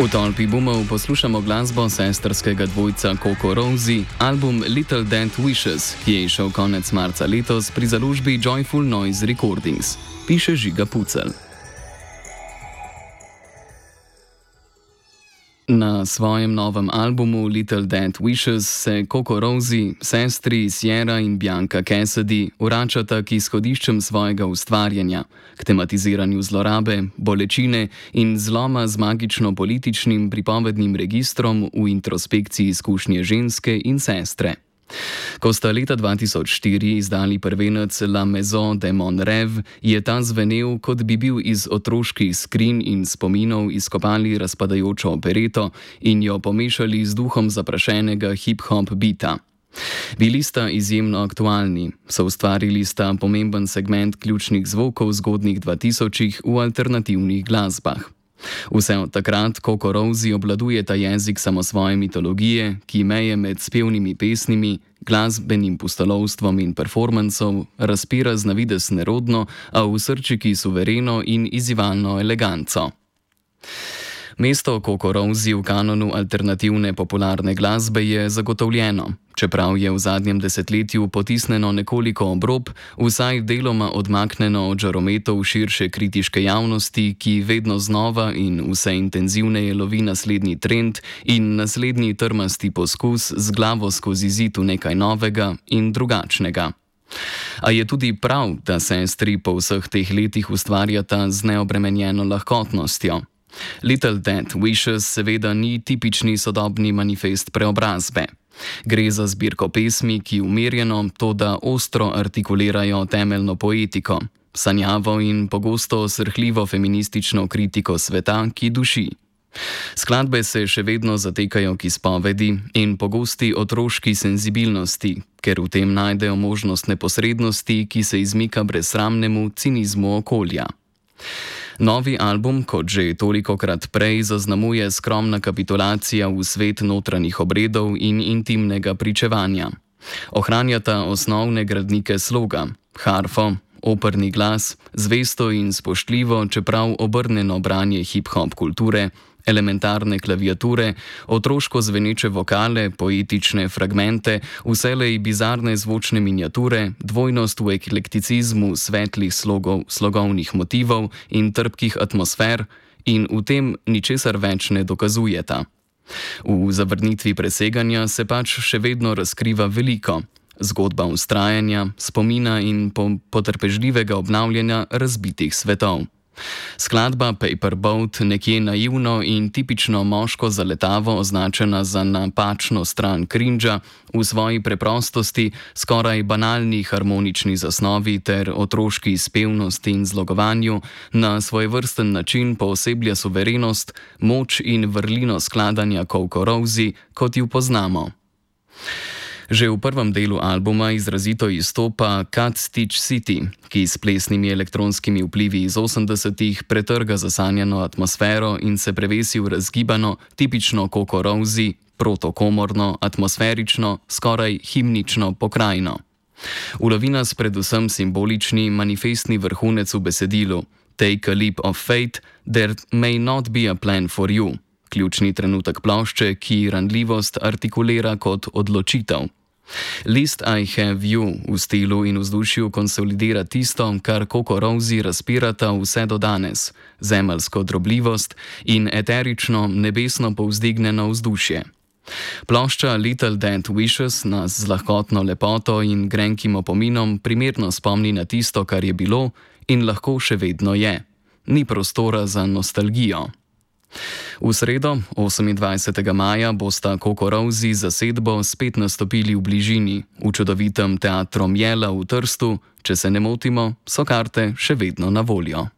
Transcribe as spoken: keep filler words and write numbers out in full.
V tolpi boomov poslušamo glasbo sestrskega dvojca Coco Rosie, album Little Dead Wishes, ki je izšel konec marca letos pri založbi Joyful Noise Recordings, piše Žiga Pucelj. Na svojem novem albumu Little Dead Wishes se Coco Rosie, sestri Sierra in Bianca Cassidy vračata k izhodiščem svojega ustvarjanja, k tematiziranju zlorabe, bolečine in zloma z magično-političnim pripovednim registrom v introspekciji izkušnje ženske in sestre. Ko sta leta dva tisoč štiri izdali prvenec La Maison de Mon Rêve, je ta zvenel, kot bi bil iz otroških skrinj in spominov izkopali razpadajočo opereto in jo pomešali z duhom zaprašenega hip-hop bita. Bili sta izjemno aktualni, soustvarili sta pomemben segment ključnih zvokov zgodnjih dvatisočih v alternativnih glasbah. Vse od takrat Coco Rosie obvladuje ta jezik samosvoje mitologije, ki meje med spevnimi pesnimi, glasbenim pustolovstvom in performancov razpira z navidez nerodno, a v srčiki suvereno in izzivalno eleganco. Mesto Coco Rosie v kanonu alternativne popularne glasbe je zagotovljeno, čeprav je v zadnjem desetletju potisnjeno nekoliko ob rob, vsaj deloma odmaknjeno od žarometov širše kritiške javnosti, ki vedno znova in vse intenzivneje lovi naslednji trend in naslednji trmasti poskus z glavo skozi zid v nekaj novega in drugačnega. A je tudi prav, da sestri po vseh teh letih ustvarjata z neobremenjeno lahkotnostjo. Little Dead Wishes seveda ni tipični sodobni manifest preobrazbe. Gre za zbirko pesmi, ki umirjeno, toda ostro artikulirajo temeljno poetiko, sanjavo in pogosto srhljivo feministično kritiko sveta, ki duši. Skladbe se še vedno zatekajo k izpovedi in pogosti otroški senzibilnosti, ker v tem najdejo možnost neposrednosti, ki se izmika brezsramnemu cinizmu okolja. Novi album, kot že tolikokrat prej, zaznamuje skromna kapitulacija v svet notranjih obredov in intimnega pričevanja. Ohranjata osnovne gradnike sloga, harfo, operni glas, zvesto in spoštljivo, čeprav obrnjeno branje hip-hop kulture, elementarne klaviature, otroško zveneče vokale, poetične fragmente, vselej bizarne zvočne miniature, dvojnost v eklekticizmu svetlih slogov, slogovnih motivov in trpkih atmosfer in v tem ničesar več ne dokazujeta. V zavrnitvi preseganja se pač še vedno razkriva veliko, zgodba vztrajanja, spomina in potrpežljivega obnavljanja razbitih svetov. Skladba Paper Boat, nekje naivno in tipično moško zaletavo označena za napačno stran cringea, v svoji preprostosti, skoraj banalni harmonični zasnovi ter otroški spevnosti in zlogovanju, na svojevrsten način pooseblja suverenost, moč in vrlino skladanja Coco Rosie, kot ju poznamo. Že v prvem delu albuma izrazito izstopa Cat Stitch City, ki s plesnimi elektronskimi vplivi iz osemdesetih pretrga zasanjano atmosfero in se prevesi v razgibano, tipično Coco Rosie, protokomorno, atmosferično, skoraj himnično pokrajino. Ulovi nas predvsem simbolični, manifestni vrhunec v besedilu Take a leap of faith, there may not be a plan for you. Ključni trenutek plošče, ki ranljivost artikulira kot odločitev. List I Have You v stilu in vzdušju konsolidira tisto, kar Coco Rosie razpirata vse do danes, zemeljsko drobljivost in eterično, nebesno povzdignjeno vzdušje. Plošča Little Dead Wishes nas z lahkotno lepoto in grenkim opominom primerno spomni na tisto, kar je bilo in lahko še vedno je. Ni prostora za nostalgijo. V sredo, osemindvajsetega maja, bosta Coco Rosie zasedbo spet nastopili v bližini, v čudovitem teatru Mjela v Trstu. Če se ne motimo, so karte še vedno na voljo.